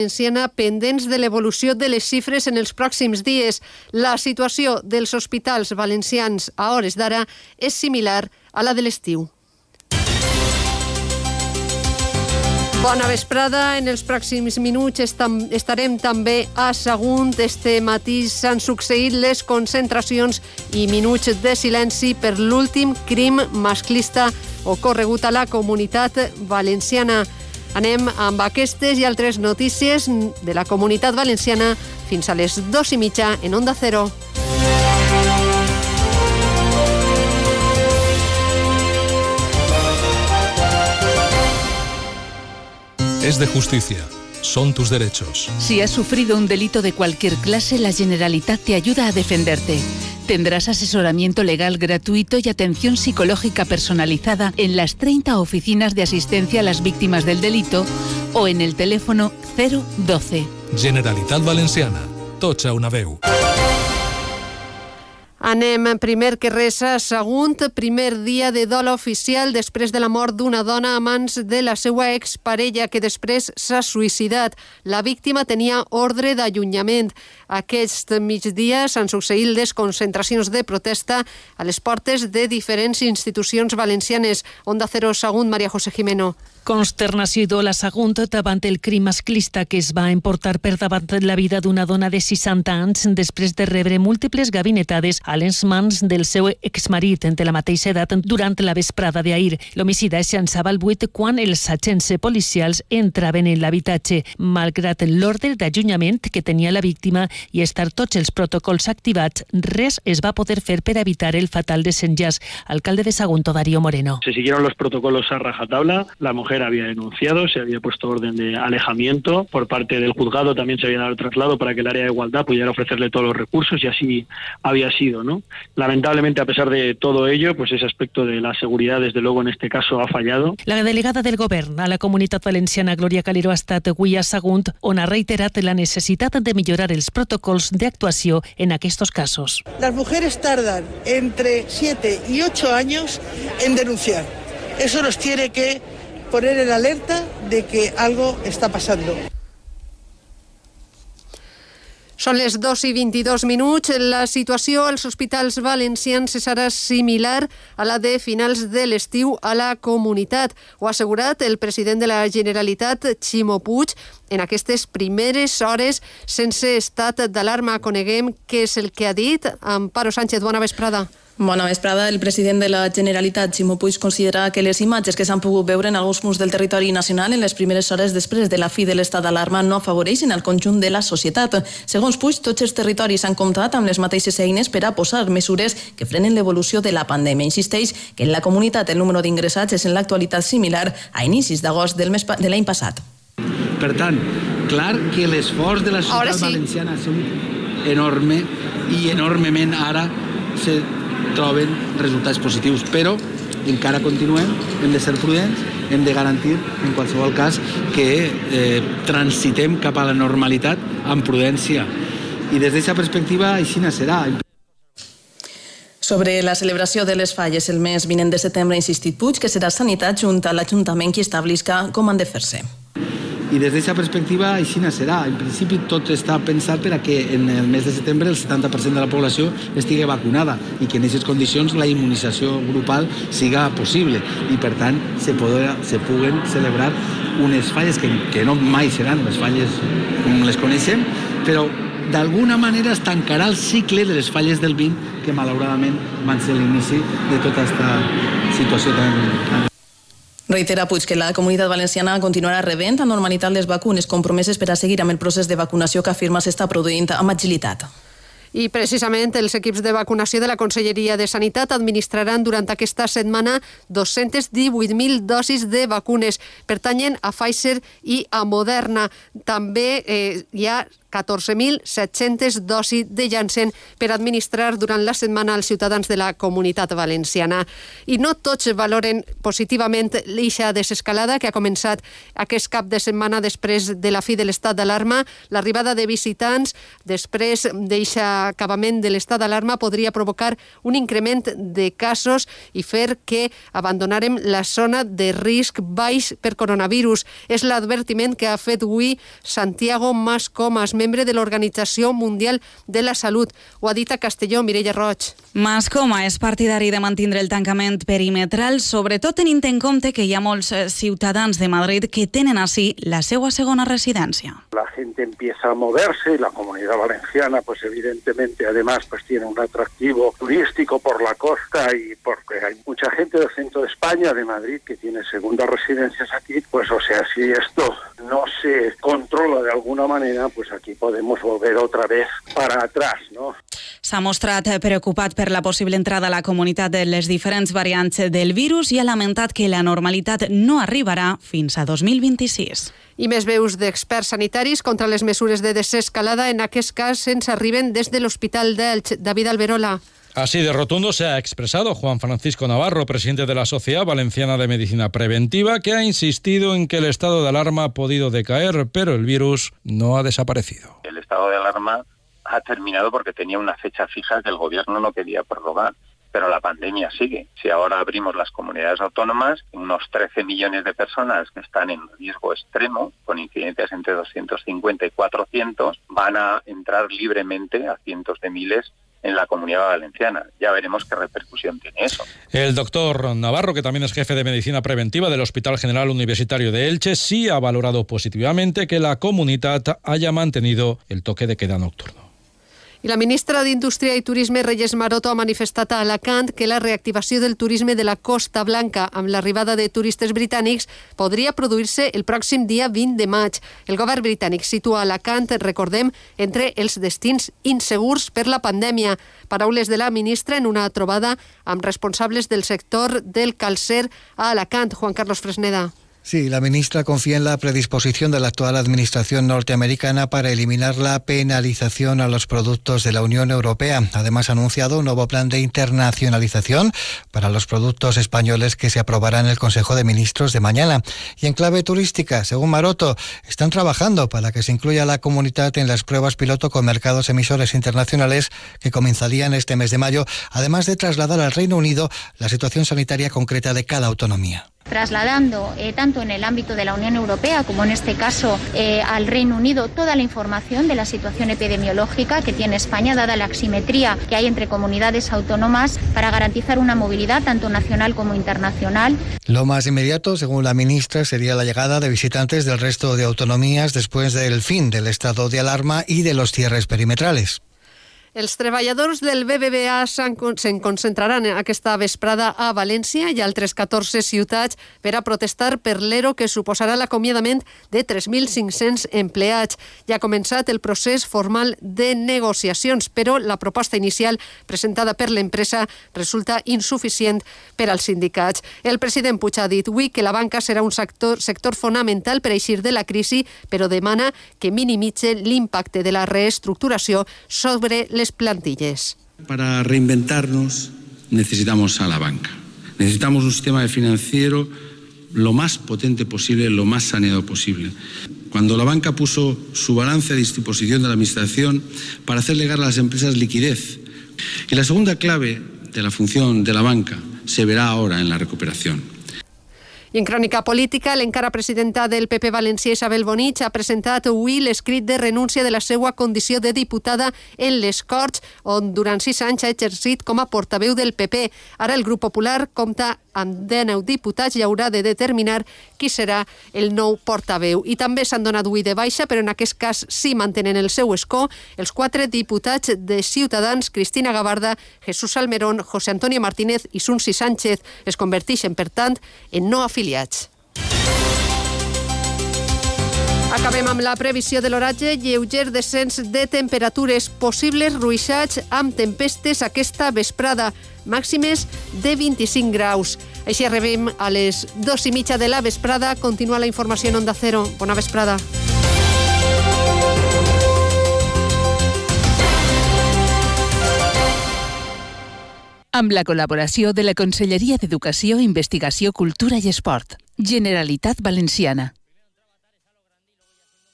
Valenciana pendents de l'evolució de les xifres en els pròxims dies. La situació dels hospitals valencians a hores d'ara és similar a la de l'estiu. Bona vesprada. En els pròxims minuts estarem també a Sagunt. Este matí s'han succeït les concentracions i minuts de silenci per l'últim crim masclista ocorregut a la Comunitat Valenciana. Anem amb aquestes i altres notícies de la Comunitat Valenciana fins a les 2:30 en Onda Cero. Es de justicia. Son tus derechos. Si has sufrido un delito de cualquier clase, la Generalitat te ayuda a defenderte. Tendrás asesoramiento legal gratuito y atención psicológica personalizada en las 30 oficinas de asistencia a las víctimas del delito o en el teléfono 012. Generalitat Valenciana. Tots a una veu. Anem primer que res a Sagunt, primer dia de dol oficial després de la mort d'una dona a mans de la seva exparella que després s'ha suïcidat. La víctima tenia ordre d'allunyament. Aquest migdia s'han succeït les concentracions de protesta a les portes de diferents institucions valencianes. Onda Cero Sagunt, Maria José Jimeno. Consternació i dol a Sagunt davant el crim masclista que es va emportar per davant la vida d'una dona de 60 anys després de rebre múltiples gabinetades a les mans del seu exmarit de la mateixa edat durant la vesprada d'ahir. L'homicida es llançava al buit quan els agents policials entraven en l'habitatge. Malgrat l'ordre d'allunyament que tenia la víctima i estar tots els protocols activats, res es va poder fer per evitar el fatal desenllaç. Alcalde de Sagunt, Darío Moreno. Se siguieron los protocolos a rajatabla. La mujer había denunciado, se había puesto orden de alejamiento. Por parte del juzgado también se había dado el traslado para que el área de igualdad pudiera ofrecerle todos los recursos y así había sido, ¿no? Lamentablemente, a pesar de todo ello, pues ese aspecto de la seguridad, desde luego, en este caso ha fallado. La delegada del Govern a la Comunitat Valenciana, Glòria Calero, ha estat avui a Sagunt, on ha reiterat la necessitat de millorar els protocols d'actuació en aquests casos. Las mujeres tardan entre 7 y 8 años en denunciar. Eso nos tiene que poner en alerta de que algo está pasando. Són les 2:22. La situació als hospitals valencians serà similar a la de finals de l'estiu a la comunitat. Ho ha assegurat el president de la Generalitat, Ximo Puig, en aquestes primeres hores sense estat d'alarma. Coneguem què és el que ha dit Amparo Sánchez. Bona vesprada. Bona vesprada. El president de la Generalitat, Ximo Puig, considera que les imatges que s'han pogut veure en alguns punts del territori nacional en les primeres hores després de la fi de l'estat d'alarma no afavoreixen el conjunt de la societat. Segons Puig, tots els territoris han comptat amb les mateixes eines per a posar mesures que frenen l'evolució de la pandèmia. Insisteix que en la comunitat el número d'ingressats és en l'actualitat similar a inicis d'agost de l'any passat. Per tant, clar que l'esforç de la societat valenciana ha sigut enorme i enormement ara se troben resultats positius, però encara continuem, hem de ser prudents, hem de garantir, en qualsevol cas, que transitem cap a la normalitat amb prudència. I des d'aquesta perspectiva, així serà. Sobre la celebració de les falles el mes vinent de setembre ha insistit Puig que serà Sanitat junt a l'Ajuntament qui establisca com han de fer-se. I des d'aquesta perspectiva així serà. En principi tot està pensat per a que en el mes de setembre el 70% de la població estigui vacunada i que en aquestes condicions la immunització grupal siga possible i per tant se puguen celebrar unes falles que no mai seran les falles com les coneixem, però d'alguna manera es tancarà el cicle de les falles del 20 que malauradament van ser l'inici de tota aquesta situació tan... Reitera Puig que la Comunitat Valenciana continuarà rebent a normalitat les vacunes compromeses per a seguir amb el procés de vacunació que afirma s'està produint amb agilitat. I precisament els equips de vacunació de la Conselleria de Sanitat administraran durant aquesta setmana 218.000 dosis de vacunes. Pertanyen a Pfizer i a Moderna. També hi ha 14.700 dosis de Janssen per administrar durant la setmana als ciutadans de la Comunitat Valenciana. I no tots valoren positivament l'eixa desescalada que ha començat aquest cap de setmana després de la fi de l'estat d'alarma. L'arribada de visitants després d'eixa acabament de l'estat d'alarma podria provocar un increment de casos i fer que abandonarem la zona de risc baix per coronavirus. És l'advertiment que ha fet avui Santiago Mascomas, membre de l'Organització Mundial de la Salut. Ho ha dit a Castelló, Mireia Roig. Mascoma és partidari de mantindre el tancament perimetral, sobretot tenint en compte que hi ha molts ciutadans de Madrid que tenen així la seva segona residència. La gente empieza a moverse y la Comunidad Valenciana, pues evidentemente, además, pues tiene un atractivo turístico por la costa y porque hay mucha gente del centro de España, de Madrid, que tiene segundas residencias aquí, pues o sea, si esto no se controla de alguna manera, pues aquí podemos volver otra vez para atrás, ¿no? S'ha mostrat preocupat per la possible entrada a la comunitat de les diferents variants del virus i ha lamentat que la normalitat no arribarà fins a 2026. I més veus d'experts sanitaris contra les mesures de desescalada. En aquest cas ens arriben des de l'Hospital d'Elx. David Alberola. Así de rotundo se ha expresado Juan Francisco Navarro, presidente de la Sociedad Valenciana de Medicina Preventiva, que ha insistido en que el estado de alarma ha podido decaer, pero el virus no ha desaparecido. El estado de alarma ha terminado porque tenía una fecha fija que el gobierno no quería prorrogar, pero la pandemia sigue. Si ahora abrimos las comunidades autónomas, unos 13 millones de personas que están en riesgo extremo, con incidencias entre 250 y 400, van a entrar libremente a cientos de miles en la Comunidad Valenciana. Ya veremos qué repercusión tiene eso. El doctor Navarro, que también es jefe de Medicina Preventiva del Hospital General Universitario de Elche, sí ha valorado positivamente que la comunitat haya mantenido el toque de queda nocturno. I la ministra d'Indústria i Turisme, Reyes Maroto, ha manifestat a Alacant que la reactivació del turisme de la Costa Blanca amb l'arribada de turistes britànics podria produir-se el pròxim dia 20 de maig. El govern britànic situa Alacant, recordem, entre els destins insegurs per la pandèmia. Paraules de la ministra en una trobada amb responsables del sector del calcer a Alacant. Juan Carlos Fresneda. Sí, la ministra confía en la predisposición de la actual administración norteamericana para eliminar la penalización a los productos de la Unión Europea. Además, ha anunciado un nuevo plan de internacionalización para los productos españoles que se aprobará en el Consejo de Ministros de mañana. Y en clave turística, según Maroto, están trabajando para que se incluya la comunidad en las pruebas piloto con mercados emisores internacionales que comenzarían este mes de mayo, además de trasladar al Reino Unido la situación sanitaria concreta de cada autonomía. Trasladando tanto en el ámbito de la Unión Europea como en este caso al Reino Unido toda la información de la situación epidemiológica que tiene España, dada la asimetría que hay entre comunidades autónomas, para garantizar una movilidad tanto nacional como internacional. Lo más inmediato, según la ministra, sería la llegada de visitantes del resto de autonomías después del fin del estado de alarma y de los cierres perimetrales. Els treballadors del BBVA se'n concentraran aquesta vesprada a València i altres 14 ciutats per a protestar per l'ERO que suposarà l'acomiadament de 3.500 empleats. Ja ha començat el procés formal de negociacions, però la proposta inicial presentada per l'empresa resulta insuficient per als sindicats. El president Puig ha dit avui que la banca serà un sector fonamental per eixir de la crisi, però demana que minimitze l'impacte de la reestructuració sobre les plantilles. Para reinventarnos necesitamos a la banca. Necesitamos un sistema financiero lo más potente posible, lo más saneado posible. Cuando la banca puso su balance a disposición de la administración para hacer llegar a las empresas liquidez. Y la segunda clave de la función de la banca se verá ahora en la recuperación. I en crònica política, l'encara presidenta del PP valencià, Isabel Bonich, ha presentat avui l'escrit de renúncia de la seva condició de diputada en les Corts, on durant 6 anys ha exercit com a portaveu del PP. Ara el grup popular compta amb 19 diputats i haurà de determinar qui serà el nou portaveu. I també s'han donat avui de baixa, però en aquest cas sí mantenen el seu escó, els 4 diputats de Ciutadans, Cristina Gavarda, Jesús Salmerón, José Antonio Martínez i Sunsi Sánchez. Es converteixen, per tant, en no afiliats. Acabem amb la previsió de l'oratge. Lleuger descens de temperatures, possibles ruixats amb tempestes aquesta vesprada, màximes de 25 graus. Així arribem a les 2:30 de la vesprada. Continua la informació en Onda Cero. Bona vesprada. amb la col·laboració de la Conselleria d'Educació, Investigació, Cultura i Esport. Generalitat Valenciana.